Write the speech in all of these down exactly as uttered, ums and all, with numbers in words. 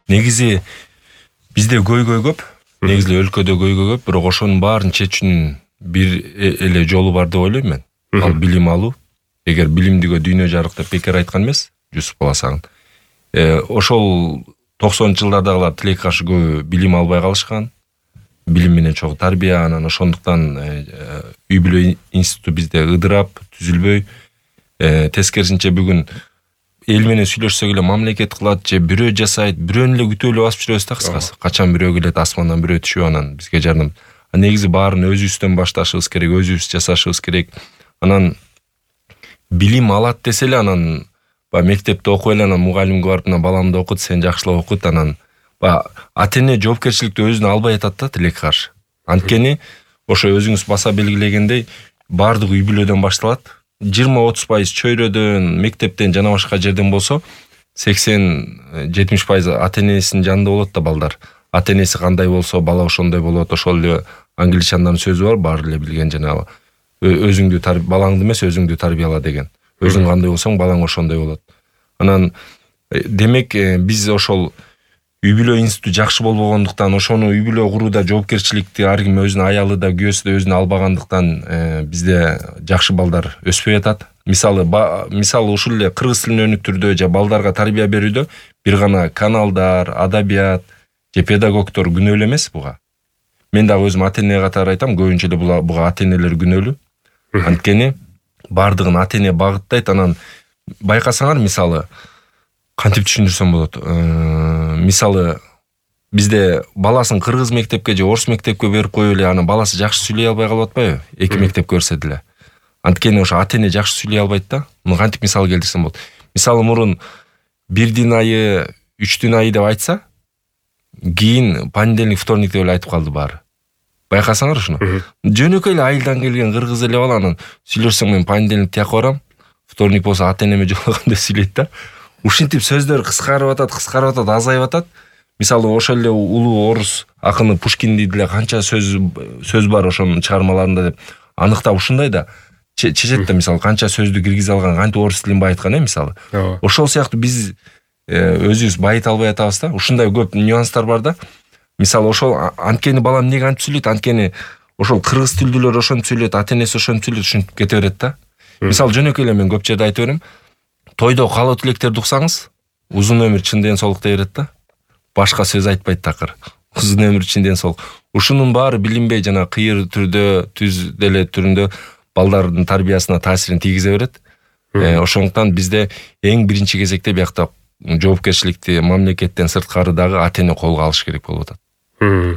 Негизи бизде көйгөй көп, негизи өлкөдө көйгөй көп, бирок ошонун баарын чечүүнүн бир эле жолу бар деп ойлойм мен. Ал билим алуу. Эгер билимдиге дүйнө жарык деп бекер айткан эмес, Жусуп Баласагын. Э, ошол токсонунчу жылдардагылар тилекке каршы көбү билим албай калышкан. Билим менен чогуу тарбия, анан ошондуктан үй бүлө институту бизде ыдырап, түзүлбөй. Э, тескерисинче бүгүн эл менен сүйлөшсөк эле мамлекет кылат же бирөө жасайт, бирөөнү эле күтүп эле басып жүрөбүз да кыскасы. Качан бирөө келет, асмандан бирөө түшүп анан бизге жардам. Негизи баарын өзүбүздөн башташыбыз керек, өзүбүз жасашыбыз керек. Анан билим алат десе эле анан ба мектепте окуй эле, анан мугалимге барып мына баламды окут, сен жакшылап окут, анан ба ата-эне жоопкерчиликти өзүнө албай атат да тилекке каршы. Анткени ошо өзүңүз баса белгилегендей баардык үй бүлөдөн башталат. жыйырма отуз пайыз чөйрөдөн, мектептен жана башка жерден болсо, сексен жетимиш пайыз ата-энесинин жанында болот да балдар. Ата-энеси кандай болсо, бала ошондой болот. Ошол эле англичандардын сөзү бар, баары эле билген жана өзүңдү балаңды эмес, өзүңдү тарбияла деген. Өзүң кандай болсоң, балаң ошондой болот. Анан демек биз ошол үй бүлө институту жакшы болбогондуктан, ошону үй бүлө курууда жоопкерчиликти ар ким өзүнүн аялы да, күйөөсү да өзүнө албагандыктан бизде жакшы балдар өспөй атат. Мисалы, мисалы ушул эле кыргыз тилин өнүктүрүүдө же балдарга тарбия берүүдө бир гана каналдар, адабият же педагогдор күнөөлүү эмес буга. Мен дагы өзүм ата-эне катары айтам, көбүнчө эле буга ата-энелер күнөөлүү. Анткени бардыгын ата-эне багыттайт. Анан байкасаңар, мисалы, кантип түшүндүрсөм болот? Мисалы, бизде баласын кыргыз мектепке же орус мектепке берип коюп эле, анан баласы жакшы сүйлөй албай калып атпайбы? Эки мектепке берсе деле. Анткени ошо ата-эне жакшы сүйлөй албайт да. Муну кантип мисал келтирсем болот? Мисалы, мурун бирдин айы, үчтүн айы деп айтса, кийин понедельник, вторник деп эле айтып калды баары. Байкасаңар ушуну. Жөнөкөй эле айылдан келген кыргыз эле бала, анан сүйлөшсөң мен понедельник тияка барам, вторник болсо ата-энеме жолугам деп сүйлөйт да. Ушинтип сөздөр кыскарып атат, кыскарып атат, азайып атат. Мисалы, ошол эле улуу орус акыны Пушкинди деле канча сөз сөз бар ошонун чыгармаларында деп аныктап ушундай да чечет да, мисалы, канча сөздү киргизе алган, кантип орус тилин байыткан, э, мисалы. Ошол сыяктуу биз өзүбүз байыта албай атабыз да. Ушундай көп нюанстар бар да. Мисалы, ошол анткени балам эмнеге антип сүйлөйт? Анткени ошол кыргыз тилдүүлөр ошентип сүйлөйт, ата-энеси ошентип сүйлөйт, ушинтип кете берет да. Мисалы, жөнөкөй эле мен көп жерде айтып берем. Тойдо каалоо тилектерди уксаңыз, узун өмүр, чын ден соолук дей берет да. Башка сөз айтпайт такыр. Узун өмүр, чын ден соолук. Ушунун баары билинбей жана кыйыр түрдө, түз деле түрүндө балдардын тарбиясына таасирин тийгизе берет. Ошондуктан бизде эң биринчи кезекте биякта жоопкерчиликти мамлекеттен сырткары дагы ата-эне колго алыш керек болуп атат.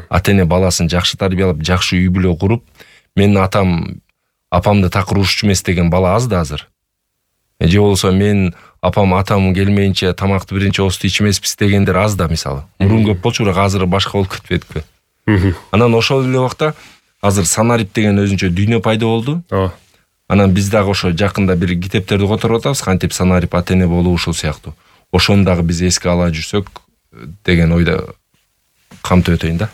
Ата-эне баласын жакшы тарбиялап, жакшы үй бүлө куруп, менин атам апамды такыр урушчу эмес деген бала аз да азыр. Же болсо мен апам атам келмейинче тамакты биринчи оозду ичмеспиз дегендер аз да, мисалы. Мурун көп болчу, бирок азыр башка болуп кетпедикпи? Анан ошол эле убакта азыр санарип деген өзүнчө дүйнө пайда болду. Анан биз дагы ошо жакында бир китептерди которуп атабыз, кантип санарип ата-эне болуу ушул сыяктуу. Ошону дагы биз эске ала жүрсөк деген ойдо камтып өтөйүн да.